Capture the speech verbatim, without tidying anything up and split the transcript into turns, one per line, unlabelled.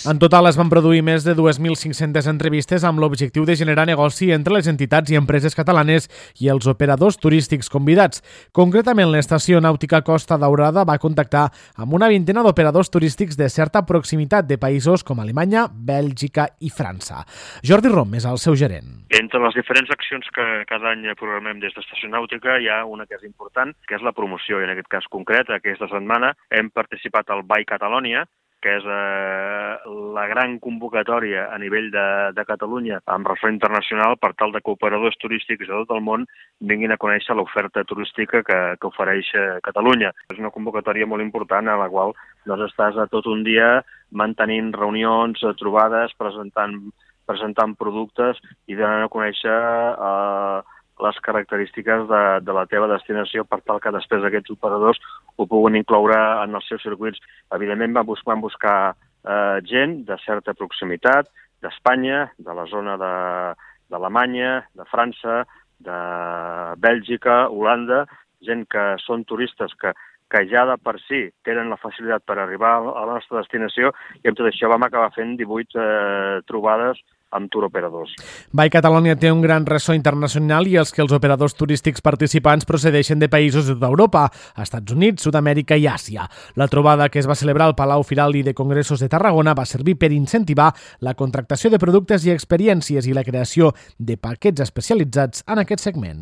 En total es van produir més de dues mil cinc-centes entrevistes amb l'objectiu de generar negoci entre les entitats i empreses catalanes i els operadors turístics convidats. Concretament, l'estació nàutica Costa Daurada va contactar amb una vintena d'operadors turístics de certa proximitat de països com Alemanya, Bèlgica i França. Jordi Rom és el seu gerent.
Entre les diferents accions que cada any programem des d'Estació Nàutica hi ha una que és important, que és la promoció. I en aquest cas concret, aquesta setmana hem participat al By Catalonia, que és eh, la gran convocatòria a nivell de, de Catalunya amb ressò internacional per tal de que operadors turístics de tot el món vinguin a conèixer l'oferta turística que, que ofereix Catalunya. És una convocatòria molt important a la qual doncs, estàs a tot un dia mantenint reunions, trobades, presentant, presentant productes i donant a conèixer eh, les característiques de, de la teva destinació per tal que després aquests operadors ho puguin incloure en els seus circuits. Evidentment van buscar, van buscar eh, gent de certa proximitat, d'Espanya, de la zona d'Alemanya, de, de França, de Bèlgica, Holanda, gent que són turistes que, que ja de per si tenen la facilitat per arribar a la nostra destinació i amb tot això vam acabar fent divuit eh, trobades amb turoperadors.
By Catalonia té un gran ressò internacional i els que els operadors turístics participants procedeixen de països de tota Europa, Estats Units, Sud-amèrica i Àsia. La trobada que es va celebrar al Palau Firal i de Congressos de Tarragona va servir per incentivar la contractació de productes i experiències i la creació de paquets especialitzats en aquest segment.